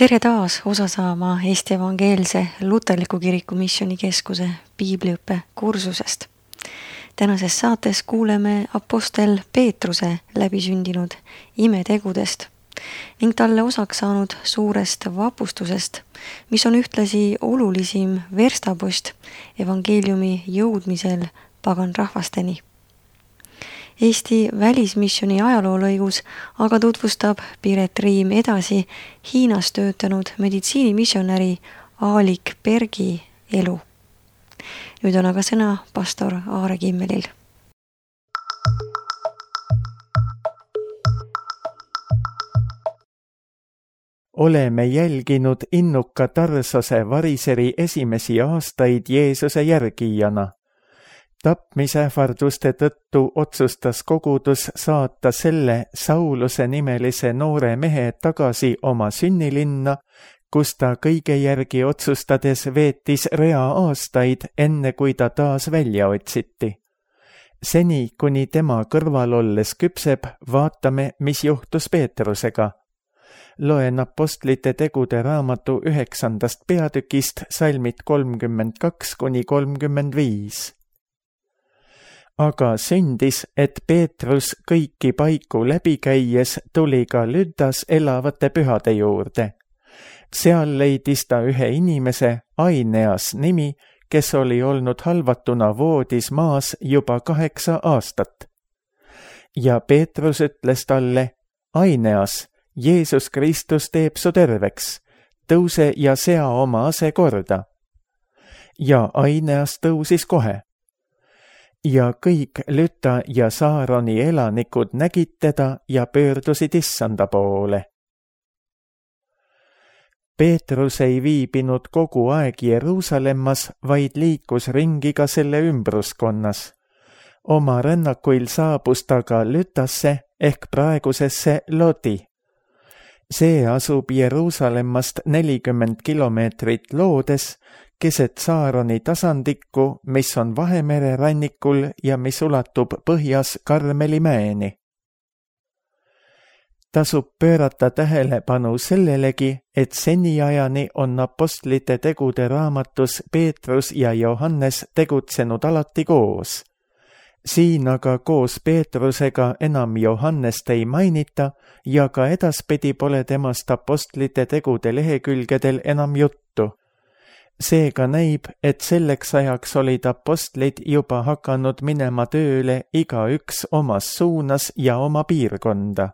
Tere taas osa saama Eesti Evangeelse Luterliku Kiriku Missioonikeskuse piibliõppe kursusest. Tänases saates kuuleme apostel Peetruse läbisündinud imetegudest ning talle osaks saanud suurest vapustusest, mis on ühtlasi olulisim verstapost evangeeliumi jõudmisel pagan rahvasteni. Eesti välismissiooni ajaloolõigus aga tutvustab Piret Riim edasi Hiinas töötanud meditsiinimissionäri Aalik Bergi elu. Nüüd on aga sõna pastor Aare Kimmelil. Oleme jälginud innuka Tarsose variseri esimesi aastaid Jeesuse järgijana. Tapmisähvarduste tõttu otsustas kogudus saata selle Sauluse nimelise noore mehe tagasi oma sünnilinna, kus ta kõige järgi otsustades veetis rea aastaid, enne kui ta taas välja otsiti. Seni, kuni tema kõrval olles küpseb, vaatame, mis juhtus Peetrusega. Loen apostlite tegude raamatu 9. peatükist salmid 32–35. Aga sündis, et Peetrus kõiki paiku läbi käies tuli ka Lüdas elavate pühade juurde. Seal leidis ta ühe inimese, Aineas nimi, kes oli olnud halvatuna voodis maas juba 8 aastat. Ja Peetrus ütles talle, Aineas, Jeesus Kristus teeb su terveks, tõuse ja sea oma ase korda. Ja Aineas tõusis kohe. Ja kõik Lüta ja Saaroni elanikud nägid teda ja pöördusid Issanda poole. Peetrus ei viibinud kogu aeg Jeruusalemmas, vaid liikus ringi ka selle ümbruskonnas. Oma rännakuil saabus ta ka Lütasse ehk praegusesse Lodi. See asub Jeruusalemmast 40 kilomeetrit loodes, keset Saaroni tasandikku, mis on Vahemere rannikul ja mis ulatub põhjas Karmeli mäeni. Tasub pöörata tähelepanu sellelegi, et seniajani on apostlite tegude raamatus Peetrus ja Johannes tegutsenud alati koos. Siin aga koos Peetrusega enam Johannest ei mainita ja ka edaspidi pole temast apostlite tegude lehekülgedel enam juttu. Seega näib, et selleks ajaks olid apostlid juba hakanud minema tööle igaüks omas suunas ja oma piirkonda.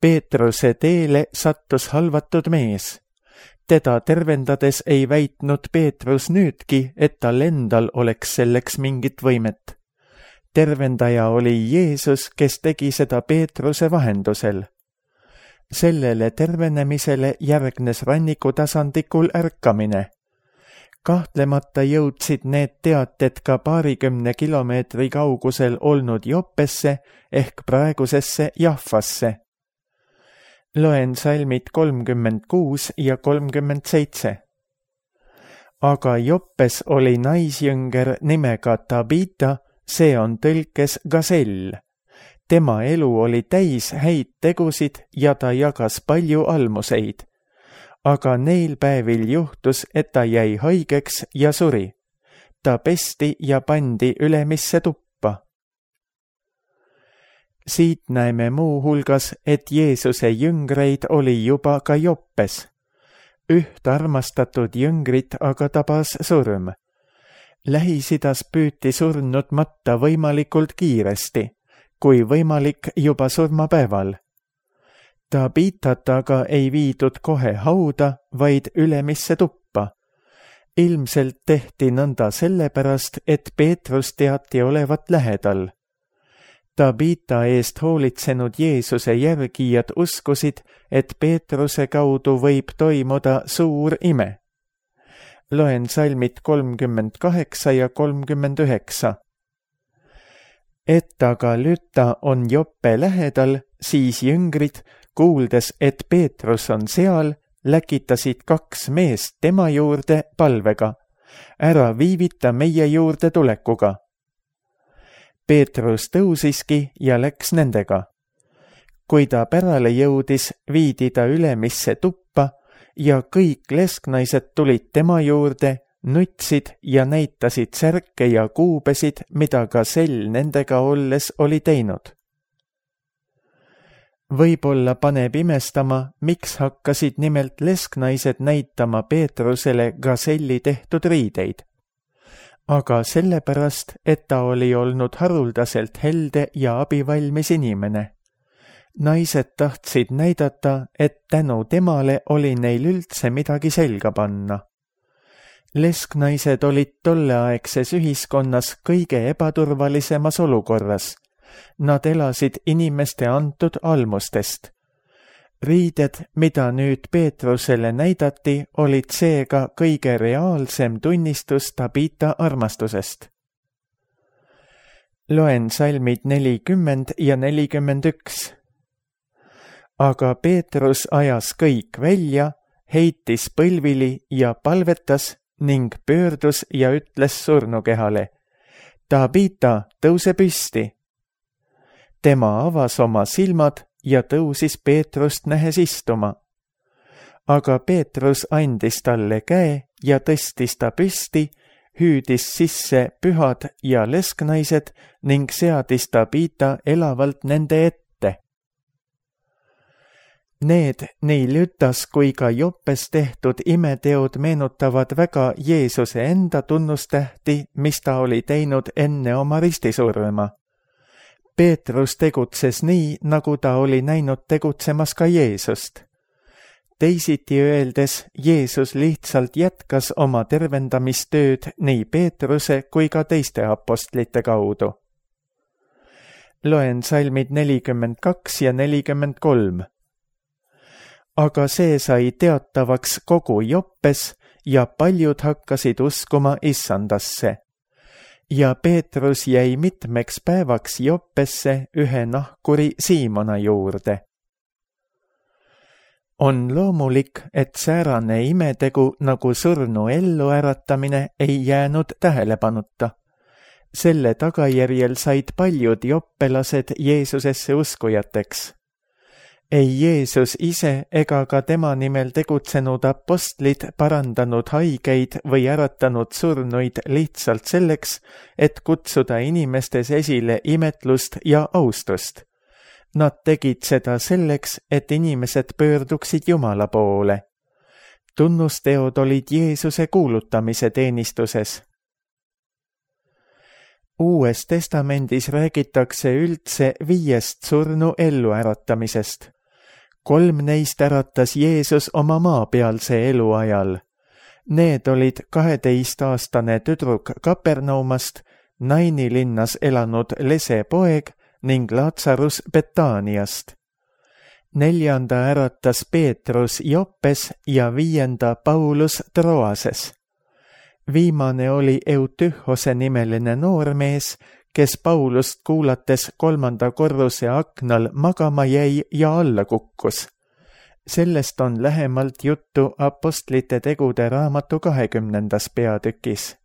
Peetruse teele sattus halvatud mees. Teda tervendades ei väitnud Peetrus nüüdki, et tal endal oleks selleks mingit võimet. Tervendaja oli Jeesus, kes tegi seda Peetruse vahendusel. Sellele tervenemisele järgnes rannikutasandikul ärkamine. Kahtlemata jõudsid need teated ka 20 kilomeetri kaugusel olnud Joppesse ehk praegusesse Jaffasse. Loen salmid 36 ja 37. Aga Joppes oli naisjünger nimega Tabita, see on tõlkes Gasell. Tema elu oli täis häid tegusid ja ta jagas palju almuseid. Aga neil päevil juhtus, et ta jäi haigeks ja suri. Ta pesti ja pandi ülemisse tuppa. Siit näeme muu hulgas, et Jeesuse jüngreid oli juba ka Joppes. Üht armastatud jüngrit aga tabas surm. Lähis-Idas püüti surnud matta võimalikult kiiresti, kui võimalik juba surmapäeval. Tabitat aga ei viidud kohe hauda, vaid ülemisse tuppa. Ilmselt tehti nõnda sellepärast, et Peetrus teati olevat lähedal. Tabita eest hoolitsenud Jeesuse järgijad uskusid, et Peetruse kaudu võib toimuda suur ime. Loen salmid 38 ja 39. Et aga Lüta on Joppe lähedal, siis jüngrid, kuuldes, et Peetrus on seal, läkitasid 2 meest tema juurde palvega. Ära viivita meie juurde tulekuga. Peetrus tõusiski ja läks nendega. kui ta pärale jõudis, viidi ta ülemisse tuppa ja kõik lesknaised tulid tema juurde, nutsid ja näitasid särke ja kuubesid, mida gasell nendega olles oli teinud. Võib-olla paneb imestama, miks hakkasid nimelt lesknaised näitama Peetrusele gaselli tehtud riideid. Aga sellepärast, et ta oli olnud haruldaselt helde ja abivalmis inimene. Naised tahtsid näidata, et tänu temale oli neil üldse midagi selga panna. Lesknaised olid tolleaegses ühiskonnas kõige ebaturvalisemas olukorras. Nad elasid inimeste antud almustest. Riided, mida nüüd Peetrusele näidati, olid seega kõige reaalsem tunnistus Tabita armastusest. Loen salmid 40 ja 41. Aga Peetrus ajas kõik välja, heitis põlvili ja palvetas ning pöördus ja ütles surnukehale: Tabita, tõuse püsti! Tema avas oma silmad ja tõusis Peetrust nähes istuma. Aga Peetrus andis talle käe ja tõstis ta püsti, hüüdis sisse pühad ja lesknaised ning seadis Tabita elavalt nende ette. Need nii Lütas kui ka Joppes tehtud imeteod meenutavad väga Jeesuse enda tunnustähti, mis ta oli teinud enne oma ristisurma. Peetrus tegutses nii, nagu ta oli näinud tegutsemas ka Jeesust. Teisiti öeldes, Jeesus lihtsalt jätkas oma tervendamistööd nii Peetruse kui ka teiste apostlite kaudu. Loen salmid 42 ja 43. Aga see sai teatavaks kogu Joppes ja paljud hakkasid uskuma Issandasse. Ja Peetrus jäi mitmeks päevaks Joppesse ühe nahkuri Siimona juurde. On loomulik, et säärane imetegu nagu surnu elluäratamine ei jäänud tähelepanuta. Selle tagajärjel said paljud joppelased Jeesusesse uskujateks. Ei Jeesus ise ega ka tema nimel tegutsenud apostlid parandanud haigeid või äratanud surnuid lihtsalt selleks, et kutsuda inimestes esile imetlust ja austust. Nad tegid seda selleks, et inimesed pöörduksid Jumala poole. Tunnusteod olid Jeesuse kuulutamise teenistuses. Uues testamendis räägitakse üldse 5 surnu elluäratamisest. 3 neist äratas Jeesus oma maapealse eluajal. Need olid 12-aastane tüdruk Kapernaumast, Naini linnas elanud lese poeg ning Lazarus Betaaniast. 4. äratas Peetrus Joppes ja 5. Paulus Troases. Viimane oli Eutühose nimeline noormees, kes Paulust kuulates 3. korruse aknal magama jäi ja alla kukkus. Sellest on lähemalt juttu Apostlite tegude raamatu 20. peatükis.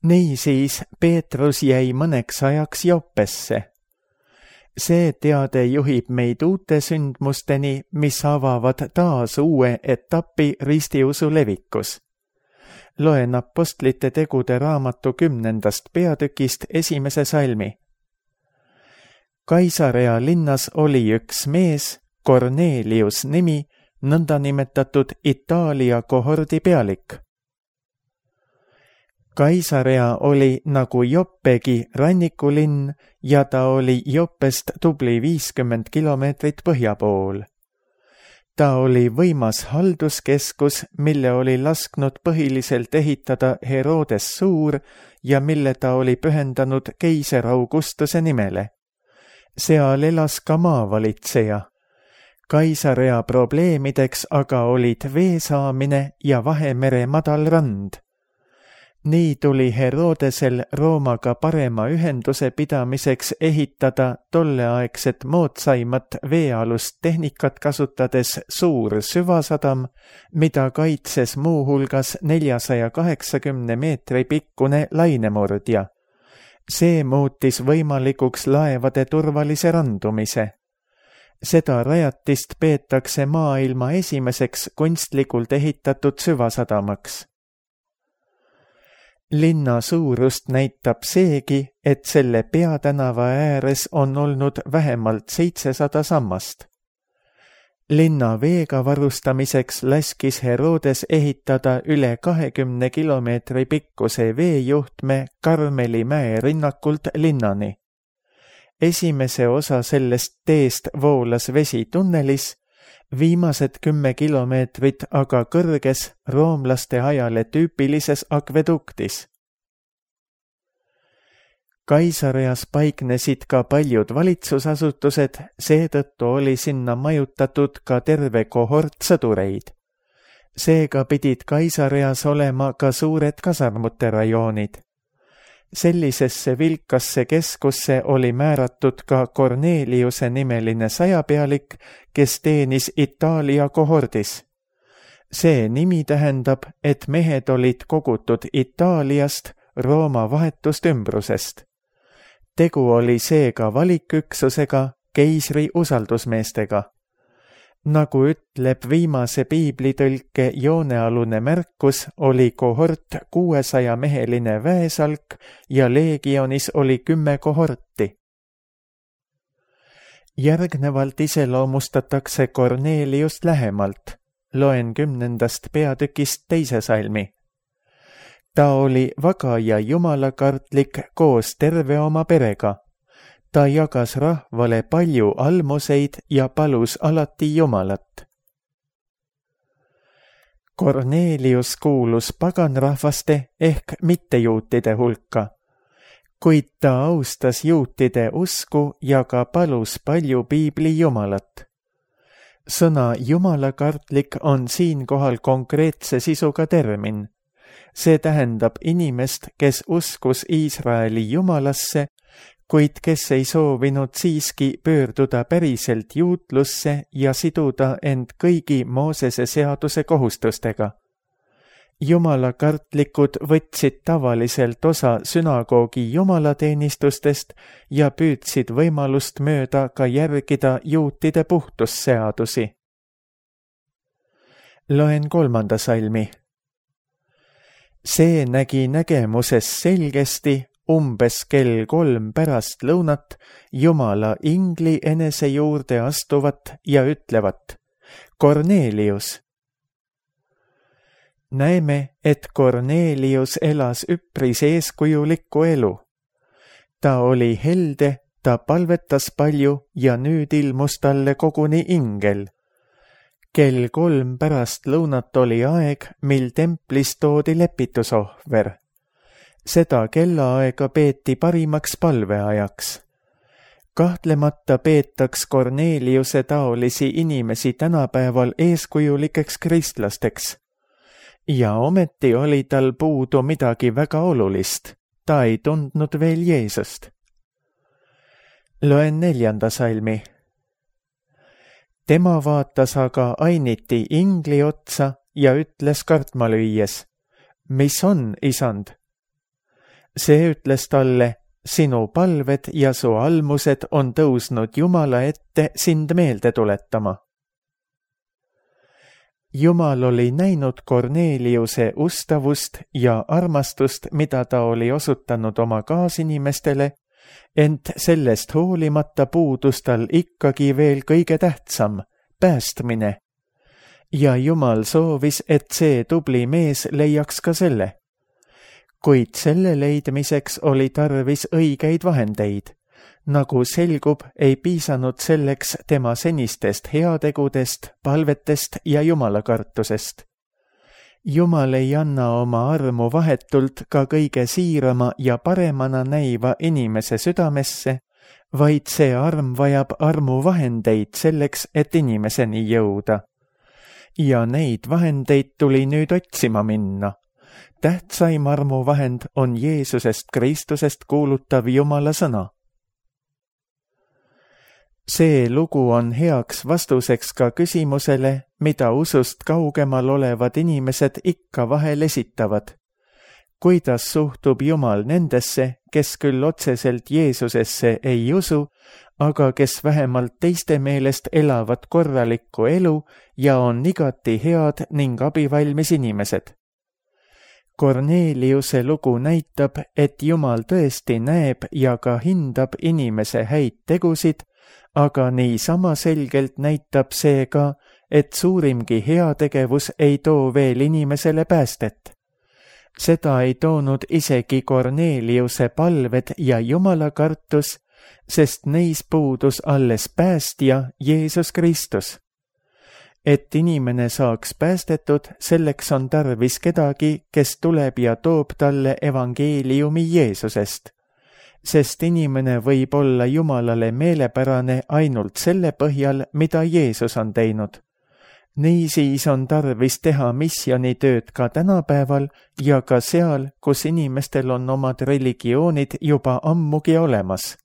Niisiis Peetrus jäi mõneks ajaks Joppesse. See teade juhib meid uute sündmusteni, mis avavad taas uue etapi ristiusu levikus. Loen Apostlite tegude raamatu 10. peatükist 1. salmi. Kaisarea linnas oli üks mees, Kornelius nimi, nõndanimetatud Itaalia kohordi pealik. Kaisarea oli nagu Joppegi rannikulinn ja ta oli Joppest tubli 50 kilomeetrit põhja pool. Ta oli võimas halduskeskus, mille oli lasknud põhiliselt ehitada Herodes Suur ja mille ta oli pühendanud keiser Augustuse nimele. Seal elas ka maavalitseja. Kaisarea probleemideks aga olid vee saamine ja Vahemere madal rand. Nii tuli Herodesel Roomaga parema ühenduse pidamiseks ehitada tolleaegset moodsaimat veealust tehnikat kasutades suur süvasadam, mida kaitses muuhulgas 480 meetri pikkune lainemurdja. See muutis võimalikuks laevade turvalise randumise. Seda rajatist peetakse maailma esimeseks kunstlikult ehitatud süvasadamaks. Linna suurust näitab seegi, et selle peatänava ääres on olnud vähemalt 700 sammast. Linna veega varustamiseks laskis Herodes ehitada üle 20 kilomeetri pikkuse veejuhtme Karmeli mäe rinnakult linnani. Esimese osa sellest teest voolas vesi tunnelis, viimased 10 kilomeetrit aga kõrges roomlaste ajale tüüpilises akveduktis. Kaisareas paiknesid ka paljud valitsusasutused, seetõttu oli sinna majutatud ka terve kohort sõdureid. Seega pidid Kaisareas olema ka suured kasarmute rajoonid. Sellisesse vilkasse keskusse oli määratud ka Corneliuse nimeline sajapealik, kes teenis Itaalia kohordis. See nimi tähendab, et mehed olid kogutud Itaaliast, Rooma vahetust ümbrusest. Tegu oli seega valiküksusega, keisri usaldusmeestega. Nagu ütleb viimase piiblitõlke joonealune märkus, oli kohort 600-meheline väesalk ja leegionis oli 10 kohorti. Järgnevalt iseloomustatakse Korneliust lähemalt. Loen 10. peatükist 2. salmi. Ta oli vaga ja jumalakartlik koos terve oma perega. Ta jagas rahvale palju almuseid ja palus alati Jumalat. Kornelius kuulus paganrahvaste ehk mittejuutide hulka, kuid ta austas juutide usku ja ka palus palju piibli Jumalat. Sõna jumalakartlik on siinkohal konkreetse sisuga termin. See tähendab inimest, kes uskus Iisraeli Jumalasse, kuid kes ei soovinud siiski pöörduda päriselt juutlusse ja siduda end kõigi Moosese seaduse kohustustega. Jumalakartlikud võtsid tavaliselt osa sünagoogi jumalateenistustest ja püüdsid võimalust mööda ka järgida juutide puhtusseadusi. Loen 3. salmi. See nägi nägemuses selgesti, umbes kell 3 pärast lõunat Jumala ingli enese juurde astuvat ja ütlevat: Kornelius. Näeme, et Kornelius elas üpris eeskujulikku elu. Ta oli helde, ta palvetas palju ja nüüd ilmus talle koguni ingel. Kell 3 pärast lõunat oli aeg, mil templis toodi lepitusohver. Seda kellaaega peeti parimaks palveajaks. Kahtlemata peetaks Korneliuse taolisi inimesi tänapäeval eeskujulikeks kristlasteks. Ja ometi oli tal puudu midagi väga olulist. Ta ei tundnud veel Jeesust. Loen 4. salmi. Tema vaatas aga ainiti ingli otsa ja ütles kartma lüües: Mis on, isand? See ütles talle: Sinu palved ja su almused on tõusnud Jumala ette sind meelde tuletama. Jumal oli näinud Korneliuse ustavust ja armastust, mida ta oli osutanud oma kaasinimestele, ent sellest hoolimata puudus tal ikkagi veel kõige tähtsam, päästmine. Ja Jumal soovis, et see tubli mees leiaks ka selle. Kuid selle leidmiseks oli tarvis õigeid vahendeid. Nagu selgub, ei piisanud selleks tema senistest heategudest, palvetest ja jumalakartusest. Jumal ei anna oma armu vahetult ka kõige siirama ja paremana näiva inimese südamesse, vaid see arm vajab armu vahendeid selleks, et inimeseni jõuda. Ja neid vahendeid tuli nüüd otsima minna. tähtsaim armuvahend on Jeesusest Kristusest kuulutav Jumala sõna. See lugu on heaks vastuseks ka küsimusele, mida usust kaugemal olevad inimesed ikka vahel esitavad. Kuidas suhtub Jumal nendesse, kes küll otseselt Jeesusesse ei usu, aga kes vähemalt teiste meelest elavad korralikku elu ja on igati head ning abivalmis inimesed? Korneliuse lugu näitab, et Jumal tõesti näeb ja ka hindab inimese häid tegusid, aga niisama selgelt näitab see ka, et suurimgi heategevus ei too veel inimesele päästet. Seda ei toonud isegi Korneliuse palved ja Jumala kartus, sest neis puudus alles päästja Jeesus Kristus. Et inimene saaks päästetud, selleks on tarvis kedagi, kes tuleb ja toob talle evangeeliumi Jeesusest. Sest inimene võib olla Jumalale meelepärane ainult selle põhjal, mida Jeesus on teinud. Niisiis on tarvis teha missionitööd ka tänapäeval ja ka seal, kus inimestel on omad religioonid juba ammugi olemas.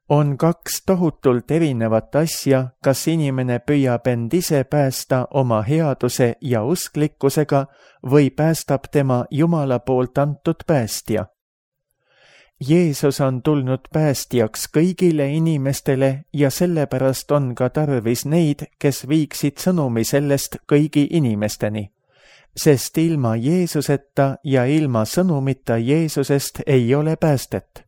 On kaks tohutult erinevat asja, kas inimene püüab end ise päästa oma headuse ja usklikkusega või päästab tema Jumala poolt antud päästja. Jeesus on tulnud päästjaks kõigile inimestele ja sellepärast on ka tarvis neid, kes viiksid sõnumi sellest kõigi inimesteni. Sest ilma Jeesuseta ja ilma sõnumita Jeesusest ei ole päästet.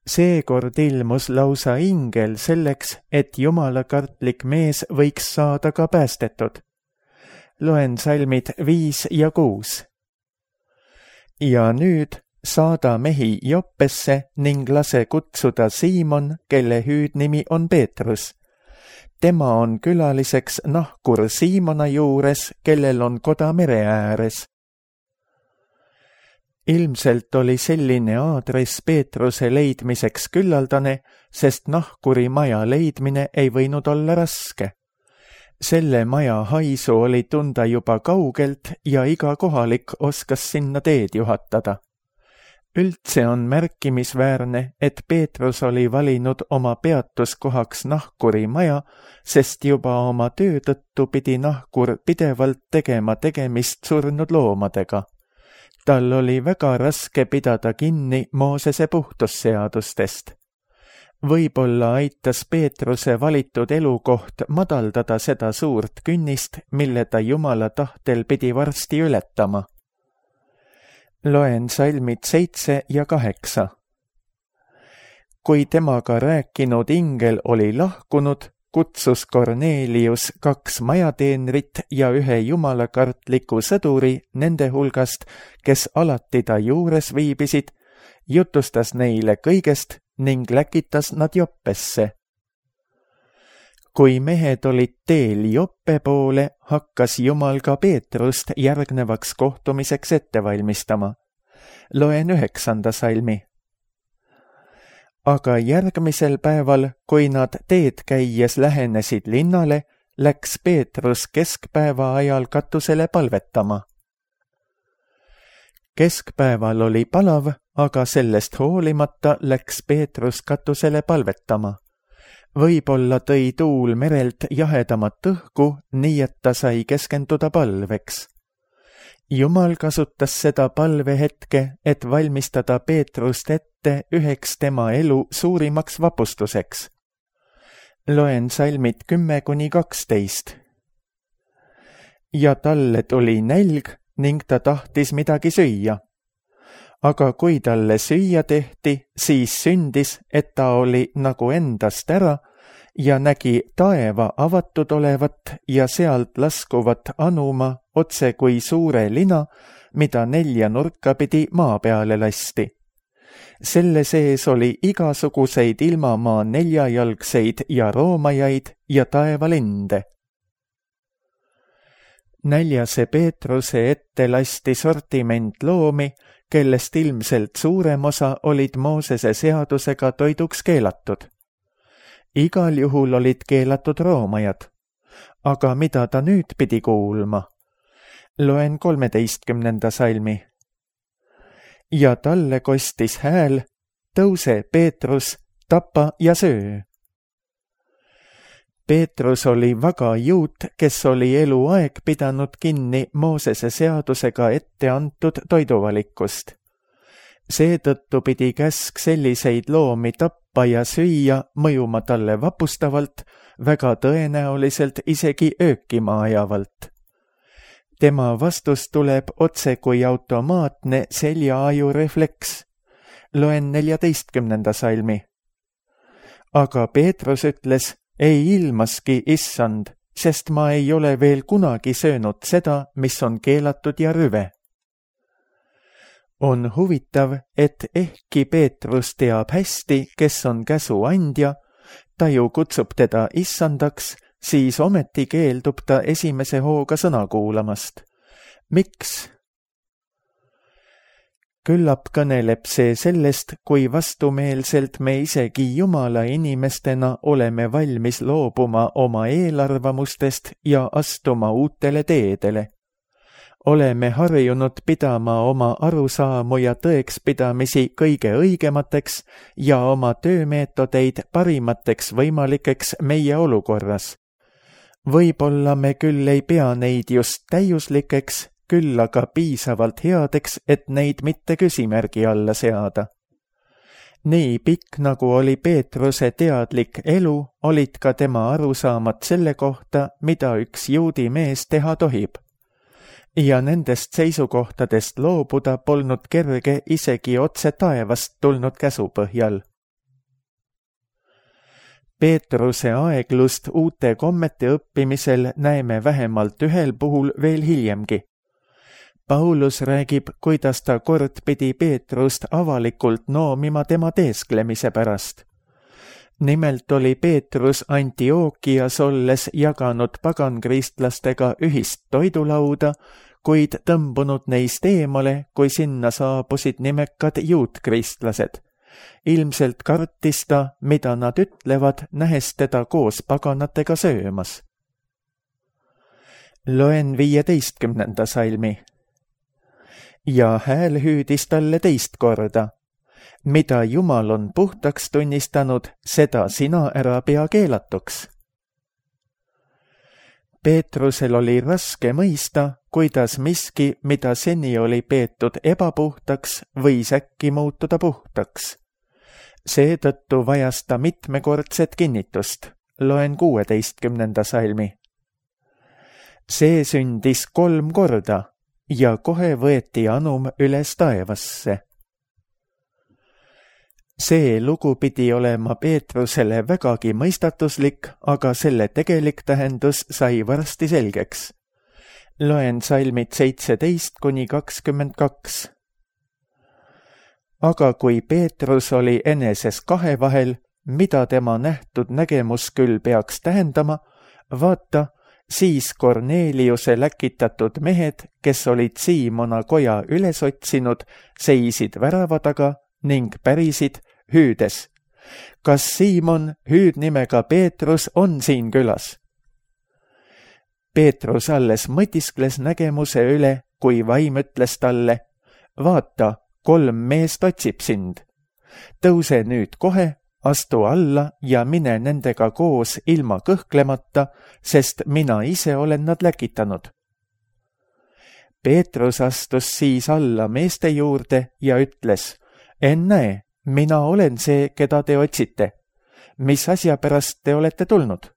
Seekord ilmus lausa ingel selleks, et jumalakartlik mees võiks saada ka päästetud. Loen salmid 5 ja 6. Ja nüüd saada mehi Joppesse ning lase kutsuda Siimon, kelle hüüdnimi on Peetrus. Tema on külaliseks nahkur Siimona juures, kellel on koda mere ääres. Ilmselt oli selline aadress Peetruse leidmiseks küllaldane, sest nahkuri maja leidmine ei võinud olla raske. Selle maja haisu oli tunda juba kaugelt ja iga kohalik oskas sinna teed juhatada. Üldse on märkimisväärne, et Peetrus oli valinud oma peatuskohaks nahkuri maja, sest juba oma töö tõttu pidi nahkur pidevalt tegema tegemist surnud loomadega. Tal oli väga raske pidada kinni Moosese puhtusseadustest. Võib-olla aitas Peetruse valitud elukoht madaldada seda suurt künnist, mille ta Jumala tahtel pidi varsti ületama. Loen salmid 7 ja 8. Kui temaga rääkinud ingel oli lahkunud, kutsus Kornelius 2 majateenrit ja 1 jumalakartliku sõduri nende hulgast, kes alati ta juures viibisid, jutustas neile kõigest ning läkitas nad Joppesse. Kui mehed olid teel Joppe poole, hakkas Jumal ka Peetrust järgnevaks kohtumiseks ette valmistama. Loen 9. salmi. Aga järgmisel päeval, kui nad teed käies lähenesid linnale, läks Peetrus keskpäeva ajal katusele palvetama. Keskpäeval oli palav, aga sellest hoolimata läks Peetrus katusele palvetama. Võib-olla tõi tuul merelt jahedamat õhku, nii et ta sai keskenduda palveks. Jumal kasutas seda palvehetke, et valmistada Peetrust ette üheks tema elu suurimaks vapustuseks. Loen salmid 10-12. Ja talle tuli nälg ning ta tahtis midagi süüa. Aga kui talle süüa tehti, siis sündis, et ta oli nagu endast ära ja nägi taeva avatud olevat ja sealt laskuvat anuma otse kui suure lina, mida 4 nurka pidi maa peale lasti. Selle sees oli igasuguseid ilmamaa 4-jalgseid ja roomajaid ja taevalinde. Näljase Peetruse ette lasti sortiment loomi, kellest ilmselt suurem osa olid Moosese seadusega toiduks keelatud. Igal juhul olid keelatud roomajad. Aga mida ta nüüd pidi kuulma? Loen 13. salmi. Ja talle kostis hääl, tõuse, Peetrus, tapa ja söö. Peetrus oli väga juut, kes oli eluaeg pidanud kinni Moosese seadusega ette antud toiduvalikust. Seetõttu pidi käsk selliseid loomi tappa ja süüa mõjuma talle vapustavalt, väga tõenäoliselt isegi öökima ajavalt. Tema vastus tuleb otse kui automaatne seljaaju refleks. Loen 14. salmi. Aga Peetrus ütles, ei ilmaski, issand, sest ma ei ole veel kunagi söönud seda, mis on keelatud ja rüve. On huvitav, et ehkki Peetrus teab hästi, kes on käsu andja, ta ju kutsub teda issandaks, siis ometi keeldub ta esimese hooga sõna kuulamast. Miks? Küllap kõneleb see sellest, kui vastumeelselt me isegi Jumala inimestena oleme valmis loobuma oma eelarvamustest ja astuma uutele teedele. Oleme harjunud pidama oma arusaamu ja tõekspidamisi kõige õigemateks ja oma töömeetodeid parimateks võimalikeks meie olukorras. Võib-olla me küll ei pea neid just täiuslikeks, küll aga piisavalt headeks, et neid mitte küsimärgi alla seada. Nii pikk, nagu oli Peetruse teadlik elu, olid ka tema arusaamad selle kohta, mida üks juudi mees teha tohib. Ja nendest seisukohtadest loobuda polnud kerge isegi otse taevast tulnud käsu põhjal. Peetruse aeglust uute kommete õppimisel näeme vähemalt ühel puhul veel hiljemgi. Paulus räägib, kuidas ta kord pidi Peetrust avalikult noomima tema teesklemise pärast. Nimelt oli Peetrus Antiookias olles jaganud pagankristlastega ühist toidulauda, kuid tõmbunud neist eemale, kui sinna saabusid nimekad juutkristlased. Ilmselt kartis ta, mida nad ütlevad, nähes teda koos paganatega söömas. Loen 15. salmi. Ja hääl hüüdis talle teist korda. Mida Jumal on puhtaks tunnistanud, seda sina ära pea keelatuks. Peetrusel oli raske mõista, kuidas miski, mida seni oli peetud ebapuhtaks, võis äkki muutuda puhtaks. Seetõttu vajas ta mitmekordset kinnitust. Loen 16. salmi. See sündis 3 korda ja kohe võeti anum üles taevasse. See lugu pidi olema Peetrusele vägagi mõistatuslik, aga selle tegelik tähendus sai varsti selgeks. Loen salmid 17-22. Aga kui Peetrus oli eneses kahe vahel, mida tema nähtud nägemus küll peaks tähendama, vaata, siis Korneliuse läkitatud mehed, kes olid Siimona koja üles otsinud, seisid värava taga ning pärisid, hüüdes. Kas Siimon, hüüdnimega Peetrus, on siin külas? Peetrus alles mõtiskles nägemuse üle, kui vaim ütles talle, vaata, 3 meest otsib sind. Tõuse nüüd kohe, astu alla ja mine nendega koos ilma kõhklemata, sest mina ise olen nad läkitanud. Peetrus astus siis alla meeste juurde ja ütles, ennäe, mina olen see, keda te otsite. Mis asja pärast te olete tulnud?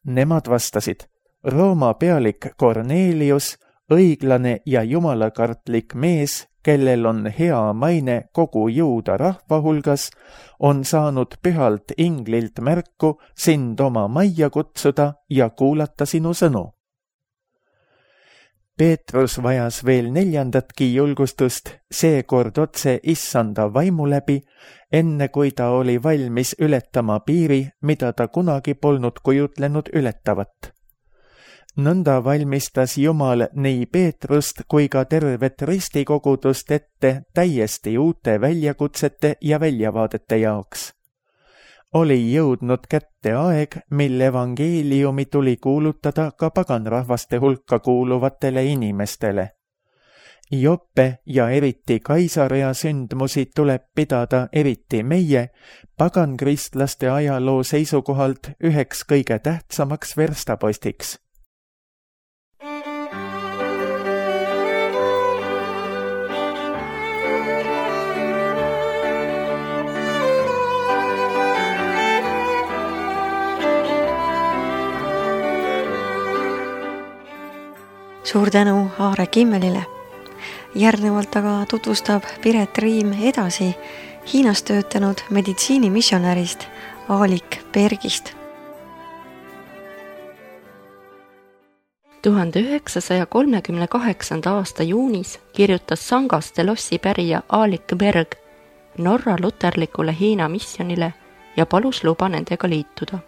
Nemad vastasid, Rooma pealik Kornelius, õiglane ja jumalakartlik mees, kellel on hea maine kogu juuda rahva hulgas, on saanud pühalt inglilt märku sind oma majja kutsuda ja kuulata sinu sõnu. Peetrus vajas veel 4. julgustust, seekord otse issanda vaimu läbi, enne kui ta oli valmis ületama piiri, mida ta kunagi polnud kujutlenud ületavat. Nõnda valmistas Jumal nii Peetrust kui ka tervet ristikogudust ette täiesti uute väljakutsete ja väljavaadete jaoks. oli jõudnud kätte aeg, mil evangeeliumi tuli kuulutada ka paganrahvaste hulka kuuluvatele inimestele. Joppe ja eriti Kaisarea sündmusi tuleb pidada eriti meie, pagankristlaste ajaloo seisukohalt üheks kõige tähtsamaks verstapostiks. Suur tänu Aare Kimmelile. Järgnevalt aga tutvustab Piret Riim edasi Hiinas töötanud meditsiinimissionärist Aalik Bergist. 1938. aasta juunis kirjutas Sangast Delossi pärija Aalik Berg Norra luterlikule Hiina missionile ja palus luba nendega liituda.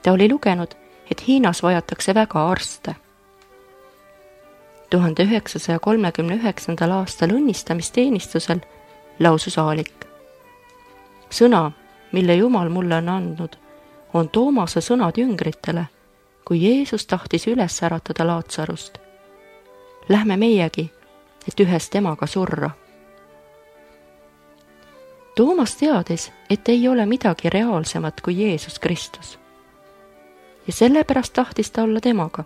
Ta oli lugenud, et Hiinas vajatakse väga arste. 1939. aastal õnnistamisteenistusel lausus Aalik. Sõna, mille Jumal mulle on andnud, on Toomase sõnad jüngritele, kui Jeesus tahtis üles äratada Laatsarust. Lähme meiegi, et ühes temaga surra. Toomas teadis, et ei ole midagi reaalsemat kui Jeesus Kristus. Ja sellepärast tahtis ta olla temaga.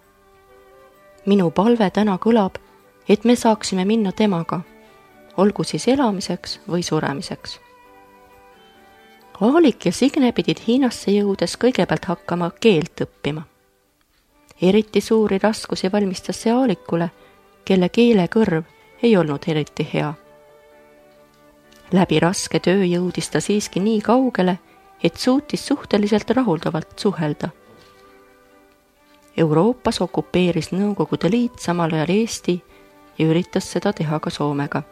Minu palve täna kõlab, et me saaksime minna temaga, olgu siis elamiseks või suremiseks. Aalik ja Signe pidid Hiinasse jõudes kõigepealt hakkama keelt õppima. Eriti suuri raskusi valmistas see Aalikule, kelle keelekõrv ei olnud eriti hea. Läbi raske töö jõudis ta siiski nii kaugele, et suutis suhteliselt rahuldavalt suhelda. Euroopas okupeeris Nõukogude Liit samal ajal Eesti ja üritas seda teha ka Soomega.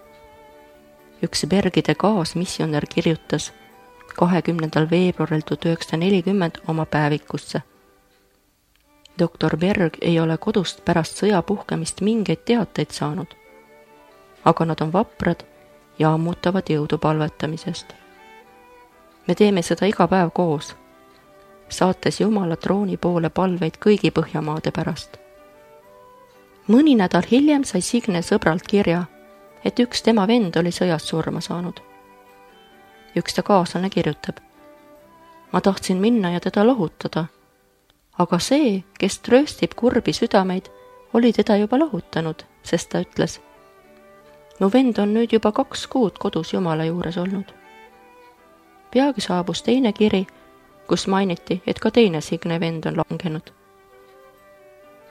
Üks Bergide kaasmissionär kirjutas 20. veebruaril 1940 oma päevikusse. Doktor Berg ei ole kodust pärast sõja puhkemist mingeid teateid saanud, aga nad on vaprad ja ammutavad jõudu palvetamisest. Me teeme seda iga päev koos, saates Jumala trooni poole palveid kõigi Põhjamaade pärast. Mõni nädal hiljem sai Signe sõbralt kirja, et üks tema vend oli sõjas surma saanud. Üks ta kaaslane kirjutab. Ma tahtsin minna ja teda lohutada, aga see, kes trööstib kurbi südameid, oli teda juba lohutanud, sest ta ütles, mu vend on nüüd juba 2 kuud kodus Jumala juures olnud. Peagi saabus teine kiri, kus mainiti, et ka teine Signe vend on langenud.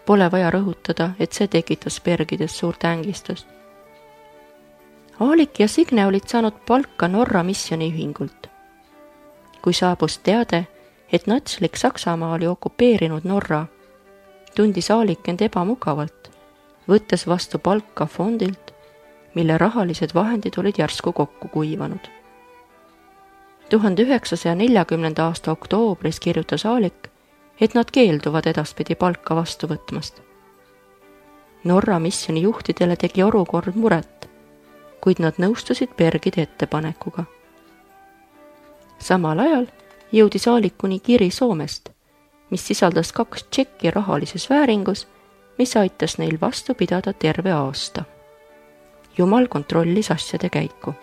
Pole vaja rõhutada, et see tekitas Bergides suurt ängistust. Aalik ja Signe olid saanud palka Norra missioniühingult. Kui saabus teade, et natslik Saksamaa oli okupeerinud Norra, tundis Aalik end ebamugavalt, võttes vastu palka fondilt, mille rahalised vahendid olid järsku kokku kuivanud. 1940. aasta oktoobris kirjutas Aalik, et nad keelduvad edaspidi palka vastu võtmast. Norra missioni juhtidele tegi olukord muret, kuid nad nõustusid Bergide ettepanekuga. Samal ajal jõudis Aalikuni kiri Soomest, mis sisaldas 2 tšekki rahalises vääringus, mis aitas neil vastu pidada terve aasta. Jumal kontrollis asjade käiku.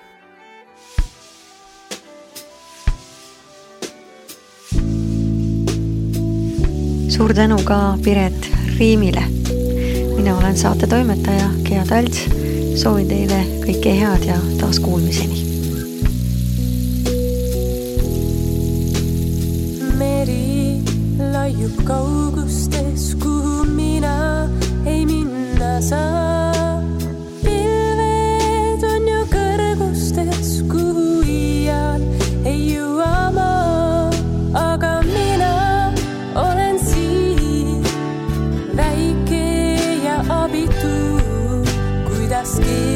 Suur tänu ka Piret Riimile. Mina olen saate toimetaja Gea Talts. Soovin teile kõike head ja taas kuulmiseni. Meri laiub kaugustes, kuhu mina ei minna saa. Pilved on ju kõrgustes, kuhu iial ei jõua maa. Aga mina olen siin, väike ja abitu, kuidas keegi